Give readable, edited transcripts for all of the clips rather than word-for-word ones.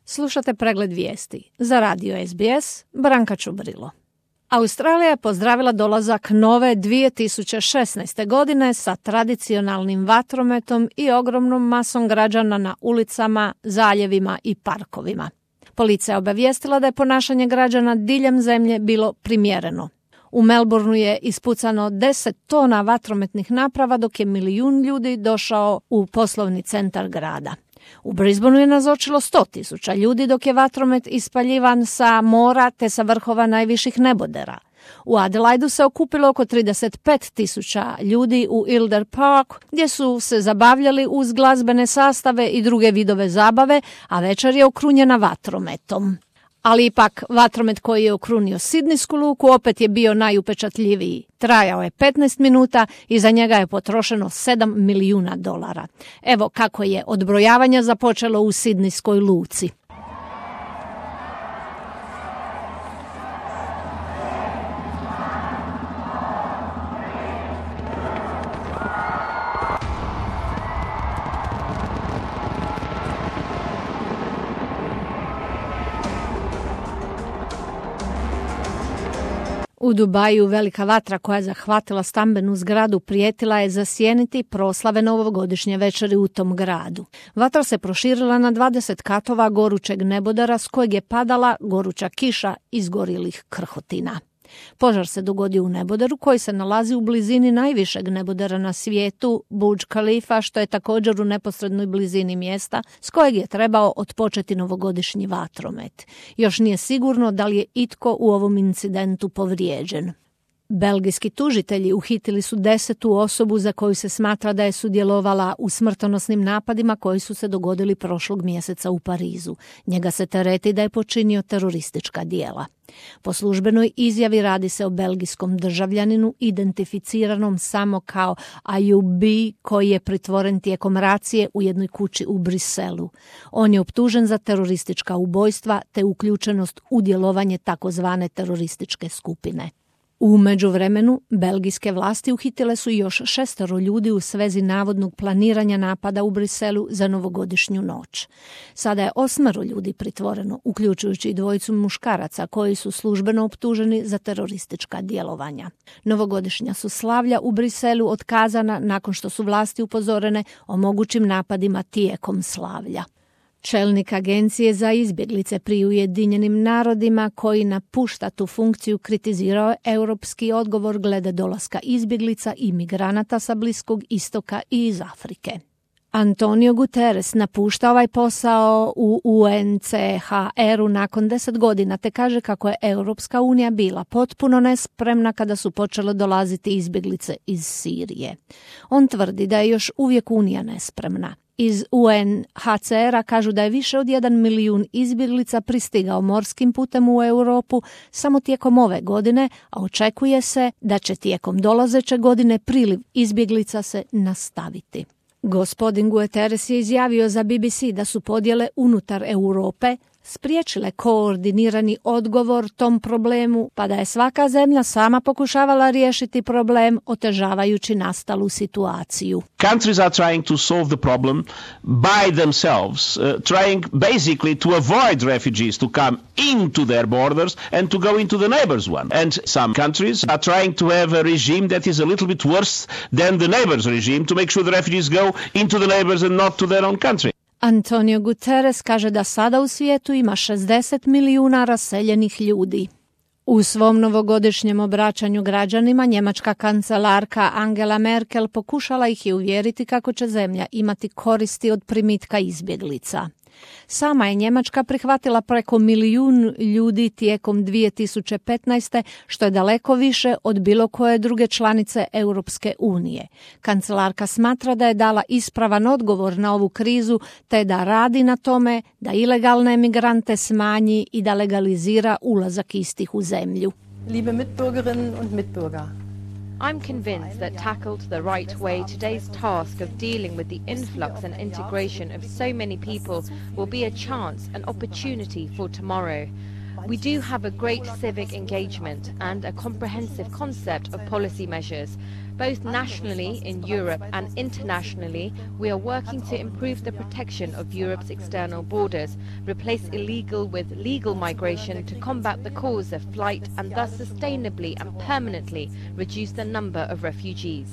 Slušate pregled vijesti. Za radio SBS, Branka Čubrilo. Australija je pozdravila dolazak nove 2016. godine sa tradicionalnim vatrometom i ogromnom masom građana na ulicama, zaljevima i parkovima. Policija je obavijestila da je ponašanje građana diljem zemlje bilo primjereno. U Melbourneu je ispucano 10 tona vatrometnih naprava dok je 1 milijun ljudi došao u poslovni centar grada. U Brisbaneu je nazočilo 100.000 ljudi dok je vatromet ispaljivan sa mora te sa vrhova najviših nebodera. U Adelaidu se okupilo oko 35.000 ljudi u Elder Park gdje su se zabavljali uz glazbene sastave i druge vidove zabave, a večer je okrunjena vatrometom. Ali ipak vatromet koji je okrunio Sidnijsku luku opet je bio najupečatljiviji. Trajao je 15 minuta i za njega je potrošeno $7 milijuna. Evo kako je odbrojavanje započelo u Sidnijskoj luci. U Dubaju velika vatra koja je zahvatila stambenu zgradu prijetila je zasjeniti proslave novogodišnje večeri u tom gradu. Vatra se proširila na 20 katova gorućeg nebodera s kojeg je padala goruća kiša izgorjelih krhotina. Požar se dogodio u neboderu koji se nalazi u blizini najvišeg nebodera na svijetu, Burj Khalifa, što je također u neposrednoj blizini mjesta s kojeg je trebao otpočeti novogodišnji vatromet. Još nije sigurno da li je itko u ovom incidentu povrijeđen. Belgijski tužitelji uhitili su 10. osobu za koju se smatra da je sudjelovala u smrtonosnim napadima koji su se dogodili prošlog mjeseca u Parizu. Njega se tereti da je počinio teroristička djela. Po službenoj izjavi radi se o belgijskom državljaninu identificiranom samo kao Ayoub koji je pritvoren tijekom racije u jednoj kući u Briselu. On je optužen za teroristička ubojstva te uključenost u djelovanje takozvane terorističke skupine. U međuvremenu, belgijske vlasti uhitile su još 6 ljudi u svezi navodnog planiranja napada u Briselu za novogodišnju noć. Sada je 8 ljudi pritvoreno, uključujući i 2 muškaraca koji su službeno optuženi za teroristička djelovanja. Novogodišnja su slavlja u Briselu otkazana nakon što su vlasti upozorene o mogućim napadima tijekom slavlja. Čelnik agencije za izbjeglice pri Ujedinjenim narodima koji napušta tu funkciju kritizirao je europski odgovor glede dolaska izbjeglica i migranata sa Bliskog istoka i iz Afrike. Antonio Guterres napušta ovaj posao u UNHCR-u nakon 10 godina te kaže kako je Europska unija bila potpuno nespremna kada su počele dolaziti izbjeglice iz Sirije. On tvrdi da je još uvijek unija nespremna. Iz UNHCR-a kažu da je više od 1 milijun izbjeglica pristigao morskim putem u Europu samo tijekom ove godine, a očekuje se da će tijekom dolazeće godine priliv izbjeglica se nastaviti. Gospodin Guterres je izjavio za BBC da su podjele unutar Europe spriječile koordinirani odgovor tom problemu, pa da je svaka zemlja sama pokušavala riješiti problem otežavajući nastalu situaciju. Countries are trying to solve the problem by themselves, trying basically to avoid refugees to come into their borders and to go into the neighbors' one. And some countries are trying to have a regime that is a little bit worse than the neighbors' regime to make sure the refugees go into the neighbors and not to their own country. Antonio Guterres kaže da sada u svijetu ima 60 milijuna raseljenih ljudi. U svom novogodišnjem obraćanju građanima njemačka kancelarka Angela Merkel pokušala ih je uvjeriti kako će zemlja imati koristi od primitka izbjeglica. Sama je Njemačka prihvatila preko 1 milijun ljudi tijekom 2015. što je daleko više od bilo koje druge članice Europske unije. Kancelarka smatra da je dala ispravan odgovor na ovu krizu te da radi na tome da ilegalne emigrante smanji i da legalizira ulazak istih u zemlju. Liebe Mitbürgerinnen und Mitbürger, I'm convinced that tackled the right way, today's task of dealing with the influx and integration of so many people will be a chance, an opportunity for tomorrow. We do have a great civic engagement and a comprehensive concept of policy measures. Both nationally in Europe and internationally, we are working to improve the protection of Europe's external borders, replace illegal with legal migration to combat the cause of flight and thus sustainably and permanently reduce the number of refugees.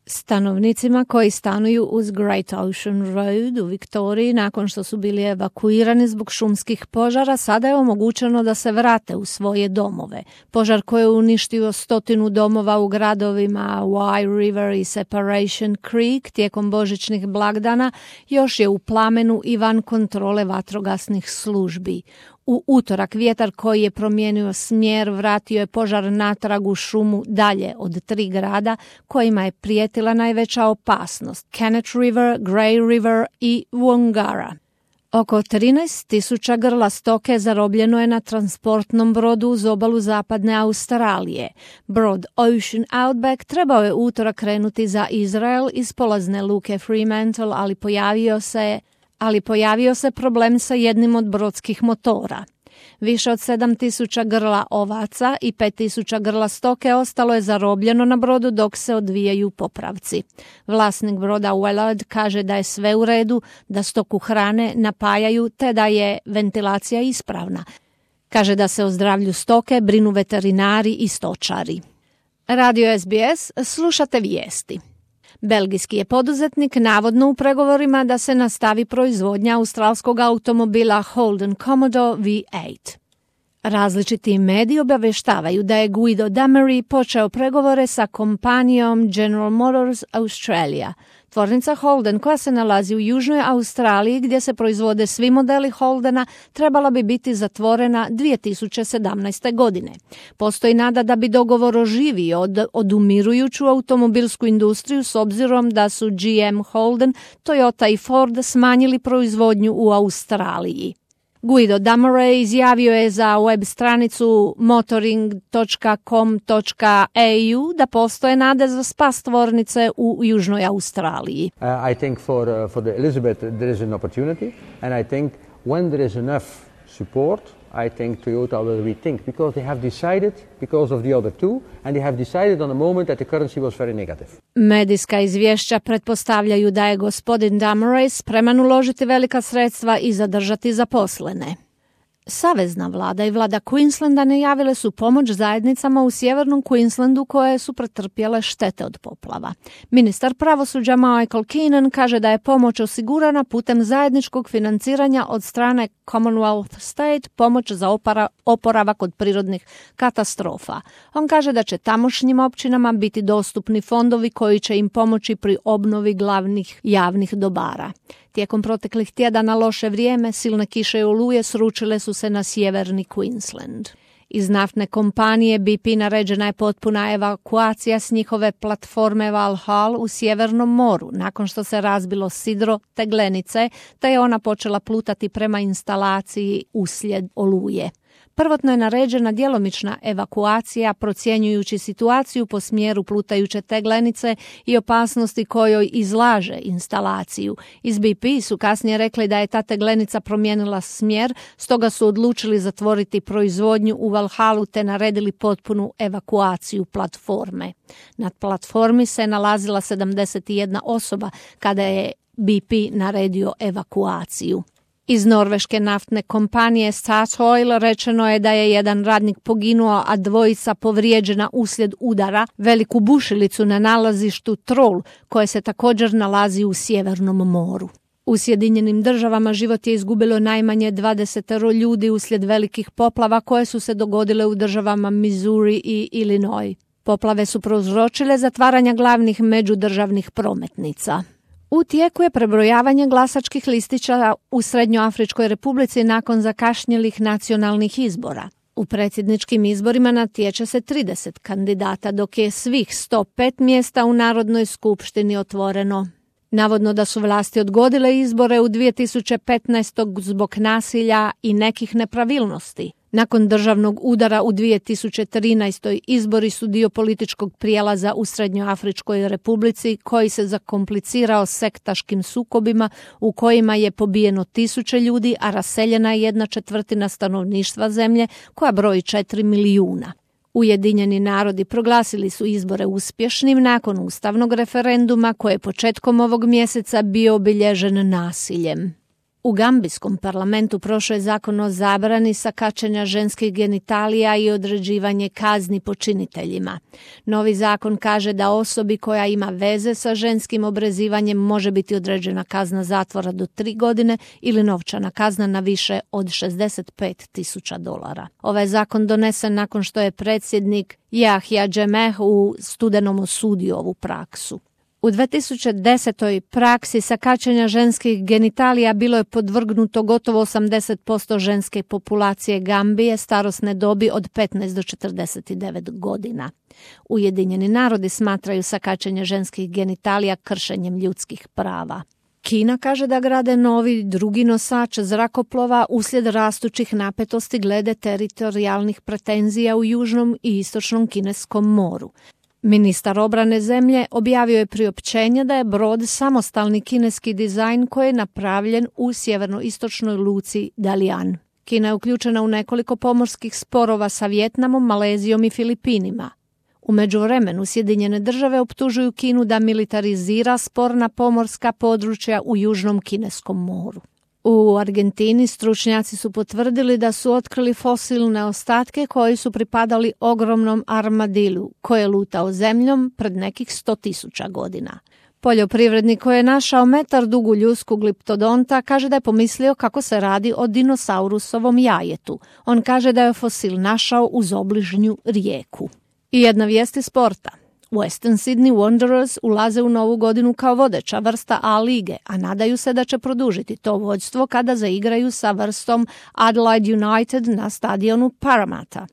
Stanovnicima koji stanuju uz Great Ocean Road u Viktoriji nakon što su bili evakuirani zbog šumskih požara, sada je omogućeno da se vrate u svoje domove. Požar koji je uništio 100 domova u gradovima Wye River i Separation Creek tijekom božićnih blagdana još je u plamenu i van kontrole vatrogasnih službi. U utorak vjetar koji je promijenio smjer vratio je požar natrag u šumu dalje od 3 grada kojima je prijetila najveća opasnost: Kenneth River, Grey River i Wangara. Oko 13.000 grla stoke zarobljeno je na transportnom brodu uz obalu zapadne Australije. Brod Ocean Outback trebao je utorak krenuti za Izrael iz polazne luke Fremantle, ali pojavio se problem sa jednim od brodskih motora. Više od 7.000 grla ovaca i 5.000 grla stoke ostalo je zarobljeno na brodu dok se odvijaju popravci. Vlasnik broda Wellard kaže da je sve u redu, da stoku hrane, napajaju te da je ventilacija ispravna. Kaže da se o zdravlju stoke brinu veterinari i stočari. Radio SBS, slušate vijesti. Belgijski je poduzetnik navodno u pregovorima da se nastavi proizvodnja australskog automobila Holden Commodore V8. Različiti mediji obavještavaju da je Guido Damery počeo pregovore sa kompanijom General Motors Australia. Tvornica Holden, koja se nalazi u Južnoj Australiji gdje se proizvode svi modeli Holdena, trebala bi biti zatvorena 2017. godine. Postoji nada da bi dogovor oživio odumirujuću automobilsku industriju s obzirom da su GM, Holden, Toyota i Ford smanjili proizvodnju u Australiji. Guido Damery izjavio je za web stranicu motoring.com.au da postoje nade za spas tvornice u Južnoj Australiji. I think for the Elizabeth there is an opportunity, and I think when there is enough support, I think Toyota will rethink, because they have decided, because of the other two, and they have decided on a moment that the currency was very negative. Medijska izvješća pretpostavljaju da je gospodin Damery spreman uložiti velika sredstva i zadržati zaposlene. Savezna vlada i vlada Queenslanda najavile su pomoć zajednicama u sjevernom Queenslandu koje su pretrpjele štete od poplava. Ministar pravosuđa Michael Keenan kaže da je pomoć osigurana putem zajedničkog financiranja od strane Commonwealth State, pomoć za oporavak od prirodnih katastrofa. On kaže da će tamošnjim općinama biti dostupni fondovi koji će im pomoći pri obnovi glavnih javnih dobara. Tijekom proteklih tjedana loše vrijeme, silne kiše i oluje sručile su se na sjeverni Queensland. Iz naftne kompanije BP naređena je potpuna evakuacija s njihove platforme Valhall u Sjevernom moru, nakon što se razbilo sidro teglenice, te je ona počela plutati prema instalaciji uslijed oluje. Prvotno je naređena djelomična evakuacija procjenjujući situaciju po smjeru plutajuće teglenice i opasnosti kojoj izlaže instalaciju. Iz BP su kasnije rekli da je ta teglenica promijenila smjer, stoga su odlučili zatvoriti proizvodnju u Valhallu te naredili potpunu evakuaciju platforme. Na platformi se nalazila 71 osoba kada je BP naredio evakuaciju. Iz norveške naftne kompanije Statoil rečeno je da je jedan radnik poginuo, a dvojica povrijeđena uslijed udara veliku bušilicu na nalazištu Troll, koje se također nalazi u Sjevernom moru. U Sjedinjenim Državama život je izgubilo najmanje 20 ljudi uslijed velikih poplava koje su se dogodile u državama Missouri i Illinois. Poplave su prouzročile zatvaranja glavnih međudržavnih prometnica. U tijeku je prebrojavanje glasačkih listića u Srednjoafričkoj Republici nakon zakašnjelih nacionalnih izbora. U predsjedničkim izborima natječe se 30 kandidata, dok je svih 105 mjesta u Narodnoj skupštini otvoreno. Navodno da su vlasti odgodile izbore u 2015. zbog nasilja i nekih nepravilnosti. Nakon državnog udara u 2013. izbori su dio političkog prijelaza u Srednjoafričkoj republici koji se zakomplicirao sektaškim sukobima u kojima je pobijeno 1000 ljudi, a raseljena je 1/4 stanovništva zemlje koja broji 4 milijuna. Ujedinjeni narodi proglasili su izbore uspješnim nakon ustavnog referenduma koji je početkom ovog mjeseca bio obilježen nasiljem. U gambijskom parlamentu prošao je zakon o zabrani sakačenja ženskih genitalija i određivanje kazni počiniteljima. Novi zakon kaže da osobi koja ima veze sa ženskim obrezivanjem može biti određena kazna zatvora do 3 godine ili novčana kazna na više od $65,000. Ovaj zakon donesen nakon što je predsjednik Yahya Jammeh u studenom osudio ovu praksu. U 2010. praksi sakačenja ženskih genitalija bilo je podvrgnuto gotovo 80% ženske populacije Gambije starosne dobi od 15 do 49 godina. Ujedinjeni narodi smatraju sakačenje ženskih genitalija kršenjem ljudskih prava. Kina kaže da grade novi drugi nosač zrakoplova uslijed rastućih napetosti glede teritorijalnih pretenzija u južnom i istočnom kineskom moru. Ministar obrane zemlje objavio je priopćenje da je brod samostalni kineski dizajn koji je napravljen u sjeverno-istočnoj luci Dalian. Kina je uključena u nekoliko pomorskih sporova sa Vijetnamom, Malezijom i Filipinima. U međuvremenu Sjedinjene države optužuju Kinu da militarizira sporna pomorska područja u južnom kineskom moru. U Argentini stručnjaci su potvrdili da su otkrili fosilne ostatke koji su pripadali ogromnom armadilu koje je lutao zemljom pred nekih 100.000 godina. Poljoprivrednik koji je našao metar dugu ljusku gliptodonta kaže da je pomislio kako se radi o dinosaurusovom jajetu. On kaže da je fosil našao uz obližnju rijeku. I jedna vijest iz sporta. Western Sydney Wanderers ulaze u novu godinu kao vodeća vrsta A lige, a nadaju se da će produžiti to vođstvo kada zaigraju sa vrstom Adelaide United na stadionu Parramatta.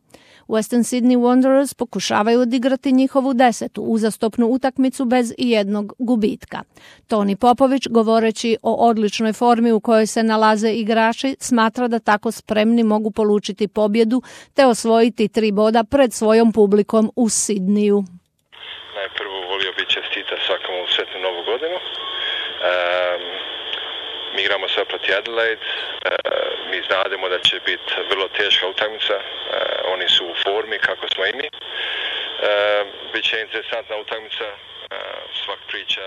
Western Sydney Wanderers pokušavaju odigrati njihovu 10. uzastopnu utakmicu bez ijednog gubitka. Toni Popović, govoreći o odličnoj formi u kojoj se nalaze igrači, smatra da tako spremni mogu polučiti pobjedu te osvojiti 3 boda pred svojom publikom u Sidniju. Najprvo volio bi čestita svakomu sretnu novu godinu. Mi igramo sad proti Adelaide. Mi znademo da će biti vrlo teška utakmica. Oni su u formi kako smo i mi. Biće interesantna utakmica. Svak priča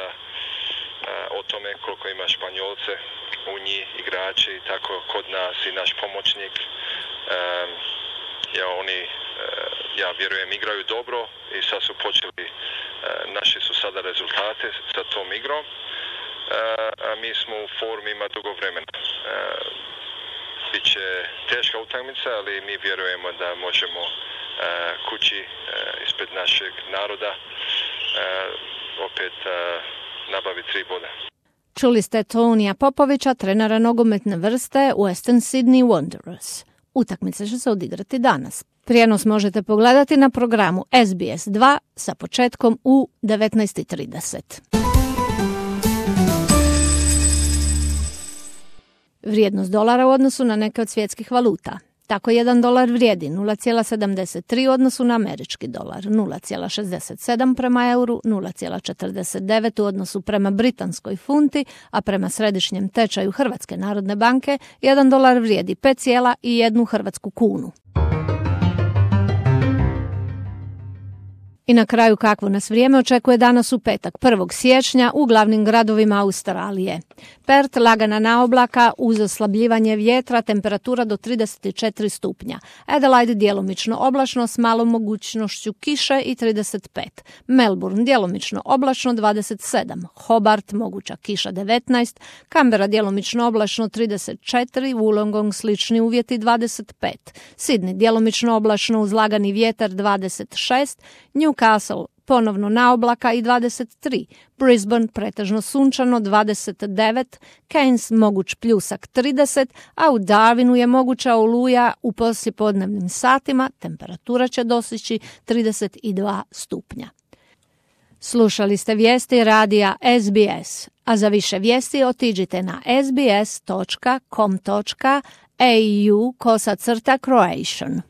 o tome koliko ima Španjolce u njih, igrači, tako kod nas i naš pomoćnik. Ja vjerujem igraju dobro i sad su počeli, naši su sada rezultate sa tom igrom, a mi smo u formi ima dugo vremena. Biće teška utakmica, ali mi vjerujemo da možemo kući ispred našeg naroda opet nabaviti 3 boda. Čuli ste Tonija Popovića, trenera nogometne vrste Western Sydney Wanderers. Utakmica će se odigrati danas. Prijenos možete pogledati na programu SBS 2 sa početkom u 19:30. Vrijednost dolara u odnosu na neke od svjetskih valuta. Tako $1 vrijedi 0,73 u odnosu na američki dolar, 0,67 prema euru, 0,49 u odnosu prema britanskoj funti, a prema središnjem tečaju Hrvatske narodne banke $1 vrijedi 5,1 hrvatsku kunu. I na kraju kakvo nas vrijeme očekuje danas u petak 1. siječnja u glavnim gradovima Australije. Perth lagana naoblaka uz oslabljivanje vjetra, temperatura do 34 stupnja. Adelaide djelomično oblačno s malom mogućnošću kiše i 35. Melbourne djelomično oblačno 27. Hobart moguća kiša 19. Canberra djelomično oblačno 34. Wollongong slični uvjeti 25. Sydney djelomično oblačno uz lagani vjetar 26. Newcastle ponovno naoblaka i 23, Brisbane pretežno sunčano 29, Cairns moguć pljusak 30, a u Darwinu je moguća oluja u poslijepodnevnim satima, temperatura će dostići 32 stupnja. Slušali ste vijesti radija SBS, a za više vijesti otiđite na sbs.com.au/Croatian.